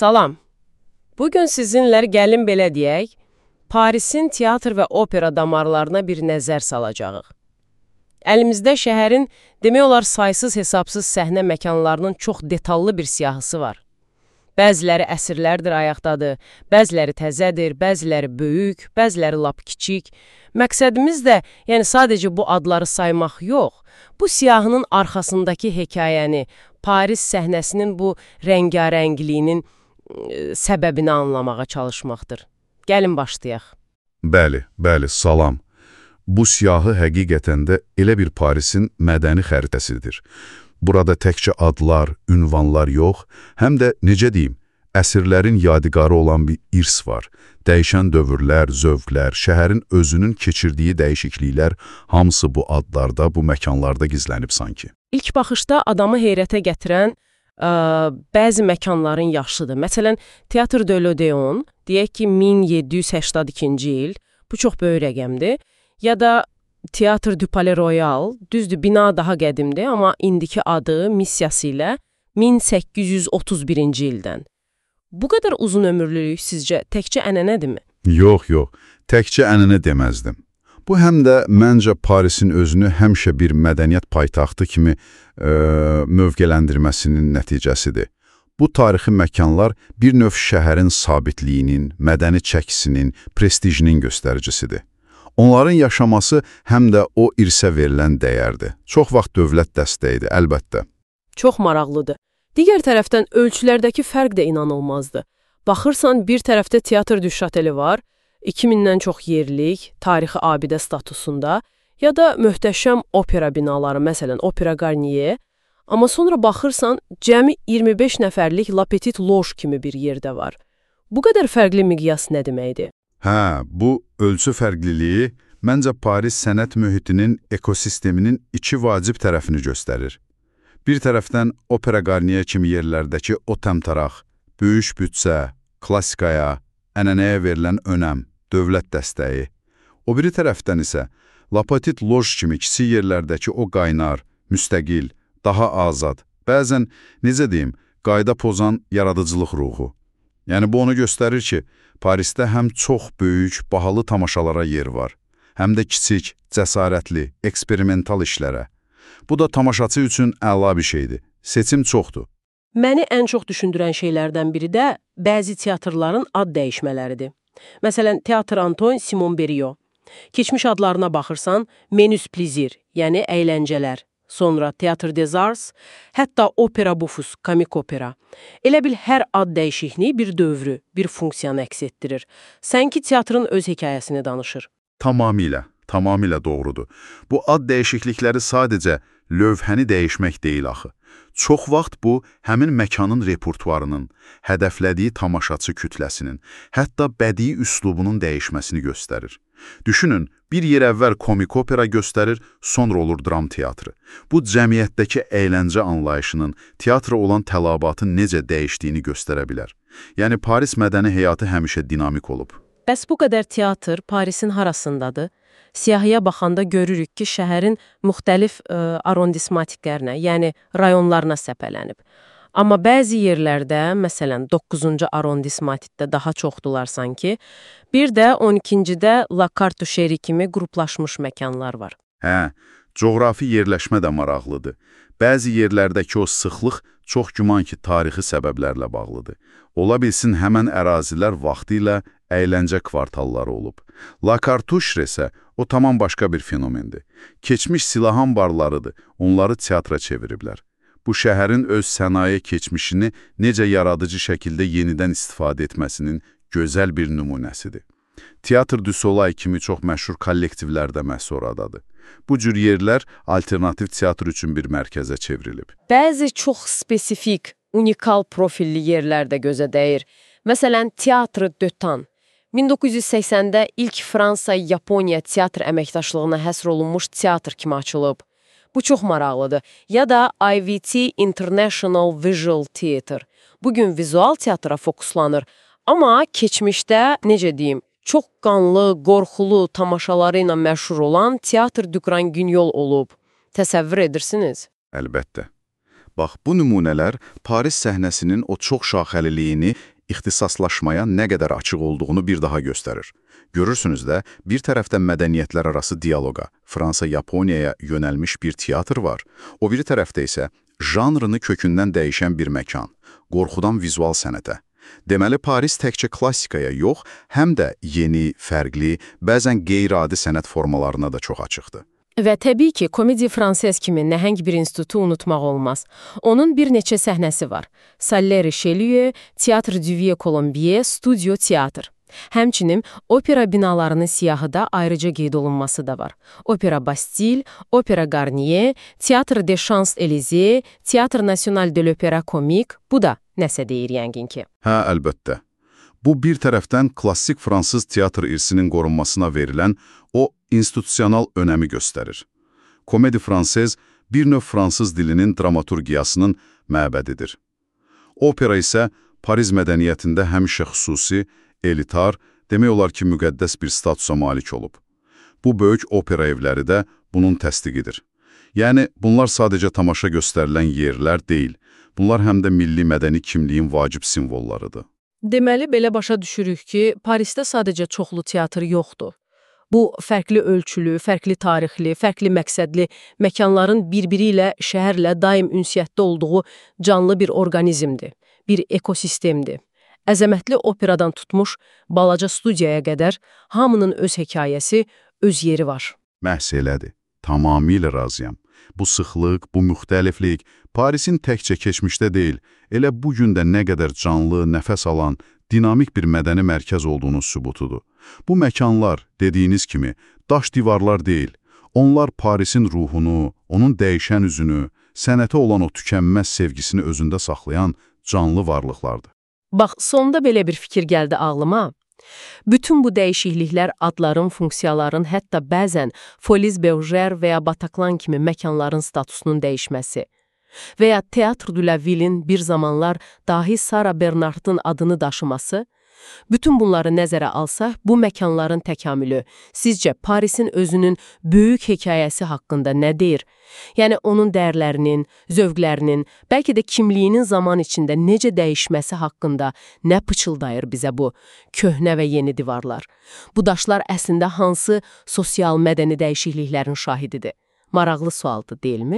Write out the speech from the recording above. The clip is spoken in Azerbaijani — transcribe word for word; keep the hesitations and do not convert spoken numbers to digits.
Salam. Bugün sizinlə gəlin belə deyək, Parisin teatr və opera damarlarına bir nəzər salacağıq. Əlimizdə şəhərin demək olar saysız hesabsız səhnə məkanlarının çox detallı bir siyahısı var. Bəziləri əsrlərdir ayaqdadır, bəziləri təzədir, bəziləri böyük, bəziləri lap kiçik. Məqsədimiz də yəni sadəcə bu adları saymaq yox, bu siyahının arxasındakı hekayəni, Paris səhnəsinin bu rəngarəngliyinin səbəbini anlamağa çalışmaqdır. Gəlin başlayaq. Bəli, bəli, salam. Bu siyahı həqiqətən də elə bir Parisin mədəni xəritəsidir. Burada təkcə adlar, ünvanlar yox, həm də, necə deyim, əsrlərin yadigarı olan bir irs var. Dəyişən dövrlər, zövqlər, şəhərin özünün keçirdiyi dəyişikliklər, hamısı bu adlarda, bu məkanlarda gizlənib sanki. İlk baxışda adamı heyrətə gətirən ə, bəzi məkanların yaşıdır. Məsələn, Teatr de l'Odéon, deyək ki, min yeddi yüz səksən ikinci il, bu çox böyük rəqəmdir. Ya da Teatr du Palais Royal, düzdür, bina daha qədimdir, amma indiki adı, missiyası ilə min səkkiz yüz otuz birinci ildən. Bu qədər uzun ömürlülük sizcə təkcə ənənədirmi? Yox, yox, təkcə ənənə deməzdim. Bu həm də məncə Parisin özünü həmişə bir mədəniyyət paytaxtı kimi e, mövqələndirməsinin nəticəsidir. Bu tarixi məkanlar bir növ şəhərin sabitliyinin, mədəni çəkisinin, prestijinin göstəricisidir. Onların yaşaması həm də o irsə verilən dəyərdir. Çox vaxt dövlət dəstəyidir, əlbəttə. Çox maraqlıdır. Digər tərəfdən ölçülərdəki fərq də inanılmazdır. Baxırsan, bir tərəfdə Teatr du Châtelet var, iki mindən çox yerlik, tarixi abidə statusunda, ya da möhtəşəm opera binaları, məsələn, Opera Garnier, amma sonra baxırsan, cəmi iyirmi beş nəfərlik La Petite Loge kimi bir yerdə var. Bu qədər fərqli miqyas nə deməkdir? Hə, bu ölçü fərqliliyi məncə Paris sənət mühitinin ekosisteminin iki vacib tərəfini göstərir. Bir tərəfdən Opera Garnier kimi yerlərdəki o təmtaraq, böyük büdcə, klassikaya, ənənəyə verilən önəm, dövlət dəstəyi. O biri tərəfdən isə La Petite Loge kimi kiçik yerlərdəki o qaynar, müstəqil, daha azad, bəzən, necə deyim, qayda pozan yaradıcılıq ruhu. Yəni bu onu göstərir ki, Parisdə həm çox böyük, bahalı tamaşalara yer var, həm də kiçik, cəsarətli, eksperimental işlərə. Bu da tamaşaçı üçün əla bir şeydir. Seçim çoxdur. Məni ən çox düşündürən şeylərdən biri də bəzi teatrların ad dəyişmələridir. Məsələn, Teatr Antoine Simon Berriot. Keçmiş adlarına baxırsan, Menus Plaisir, yəni əyləncələr. Sonra Teatr des Arts, hətta Opera Bufus, komik opera. Elə bil hər ad dəyişikliyi bir dövrü, bir funksiyanı əks etdirir. Sanki teatrın öz hekayəsini danışır. Tamamilə, tamamilə doğrudur. Bu ad dəyişiklikləri sadəcə lövhəni dəyişmək deyil axı. Çox vaxt bu, həmin məkanın repertuarının, hədəflədiyi tamaşaçı kütləsinin, hətta bədii üslubunun dəyişməsini göstərir. Düşünün, bir yer əvvəl komik opera göstərir, sonra olur dram teatrı. Bu, cəmiyyətdəki əyləncə anlayışının, teatra olan tələbatın necə dəyişdiyini göstərə bilər. Yəni, Paris mədəni həyatı həmişə dinamik olub. Bəs bu qədər teatr Parisin harasındadır? Siyahıya baxanda görürük ki, şəhərin müxtəlif ə, arondismatiklərinə, yəni rayonlarına səpələnib. Amma bəzi yerlərdə, məsələn, doqquzuncu arondismatikdə daha çoxdular sanki, bir də on ikincidə La Cartoucherie kimi qruplaşmış məkanlar var. Hə, coğrafi yerləşmə də maraqlıdır. Bəzi yerlərdəki o sıxlıq çox güman ki, tarixi səbəblərlə bağlıdır. Ola bilsin, həmən ərazilər vaxtı ilə əyləncə kvartalları olub. La Cartoucherie isə o tamam başqa bir fenomendir. Keçmiş silah anbarlarıdır, onları teatra çeviriblər. Bu şəhərin öz sənaye keçmişini necə yaradıcı şəkildə yenidən istifadə etməsinin gözəl bir nümunəsidir. Teatr du Soleil kimi çox məşhur kollektivlər də məhz oradadır. Bu cür yerlər alternativ teatr üçün bir mərkəzə çevrilib. Bəzi çox spesifik, unikal profilli yerlər də gözə dəyir. Məsələn, Teatr de Tan. min doqquz yüz səksəndə ilk Fransa-Yaponiya teatr əməkdaşlığına həsr olunmuş teatr kimi açılıb. Bu çox maraqlıdır. Ya da I V T International Visual Theatre. Bugün vizual teatra fokuslanır. Amma keçmişdə, necə deyim, çox qanlı, qorxulu tamaşaları ilə məşhur olan Teatr du Grand Guignol olub. Təsəvvür edirsiniz? Əlbəttə. Bax, bu nümunələr Paris səhnəsinin o çox şaxəliliyini, ixtisaslaşmaya nə qədər açıq olduğunu bir daha göstərir. Görürsünüz də, bir tərəfdən mədəniyyətlər arası dialoqa, Fransa-Yaponiyaya yönəlmiş bir teatr var, o biri tərəfdə isə janrını kökündən dəyişən bir məkan, qorxudan vizual sənətə. Deməli, Paris təkcə klassikaya yox, həm də yeni, fərqli, bəzən qeyri-adi sənət formalarına da çox açıqdır. Və təbii ki, Komedi Franses kimi nəhəng bir institutu unutmaq olmaz. Onun bir neçə səhnəsi var. Salle Richelieu, Teatr du Vieux Colombier, Studio Teatr. Həmçinin opera binalarının siyahı da ayrıca qeyd olunması da var. Opera Bastille, Opera Garnier, Teatr des Champs-Élysées, Teatr National de l'Opéra Comique, bu da nəsə deyir yəqin ki. Hə, əlbəttə. Bu bir tərəfdən klassik fransız teatr irsinin qorunmasına verilən o institusional önəmi göstərir. Komedi Franses bir növ fransız dilinin dramaturgiyasının məbədidir. Opera isə Paris mədəniyyətində həmişə xüsusi, elitar, demək olar ki, müqəddəs bir statusa malik olub. Bu böyük opera evləri də bunun təsdiqidir. Yəni, bunlar sadəcə tamaşa göstərilən yerlər deyil, bunlar həm də milli mədəni kimliyin vacib simvollarıdır. Deməli, belə başa düşürük ki, Parisdə sadəcə çoxlu teatr yoxdur. Bu, fərqli ölçülü, fərqli tarixli, fərqli məqsədli məkanların bir-biri ilə, şəhərlə daim ünsiyyətdə olduğu canlı bir orqanizmdir, bir ekosistemdir. Əzəmətli operadan tutmuş, balaca studiyaya qədər hamının öz hekayəsi, öz yeri var. Məhz elədir. Tamamilə razıyam. Bu sıxlıq, bu müxtəliflik Parisin təkcə keçmişdə deyil, elə bu gün də nə qədər canlı, nəfəs alan, dinamik bir mədəni mərkəz olduğunun sübutudur. Bu məkanlar, dediyiniz kimi, daş divarlar deyil. Onlar Parisin ruhunu, onun dəyişən üzünü, sənətə olan o tükənməz sevgisini özündə saxlayan canlı varlıqlardır. Bax, sonda belə bir fikir gəldi ağlıma. Bütün bu dəyişikliklər adların, funksiyaların, hətta bəzən Folies Bergère və ya Bataclan kimi məkanların statusunun dəyişməsi və ya Teatr de la Ville'in bir zamanlar dahi Sara Bernard'ın adını daşıması, bütün bunları nəzərə alsaq, bu məkanların təkamülü sizcə Parisin özünün böyük hekayəsi haqqında nə deyir? Yəni, onun dəyərlərinin, zövqlərinin, bəlkə də kimliyinin zaman içində necə dəyişməsi haqqında nə pıçıldayır bizə bu köhnə və yeni divarlar? Bu daşlar əslində hansı sosial mədəni dəyişikliklərin şahididir? Maraqlı sualdır, deyilmi?